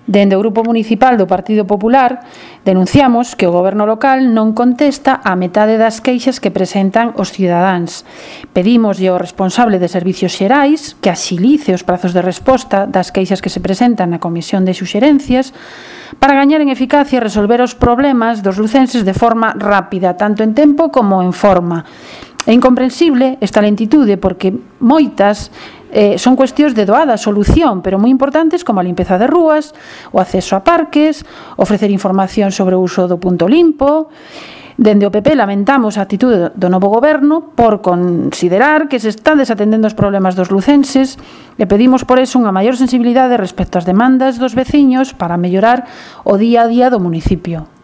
Dende o Grupo Municipal do Partido Popular denunciamos que o Goberno local non contesta a metade das queixas que presentan os cidadáns. Pedímoslle ao responsable de Servicios Xerais que axilice os prazos de resposta das queixas que se presentan na Comisión de Suxerencias para gañar en eficacia e resolver os problemas dos lucenses de forma rápida, tanto en tempo como en forma. É incomprensible esta lentitude porque moitas son cuestións de doada solución, pero moi importantes como a limpeza de rúas, o acceso a parques, ofrecer información sobre o uso do punto limpo. Dende o PP lamentamos a actitude do novo goberno por considerar que se están desatendendo os problemas dos lucenses e pedimos por eso unha maior sensibilidade respecto ás demandas dos veciños para mellorar o día a día do municipio.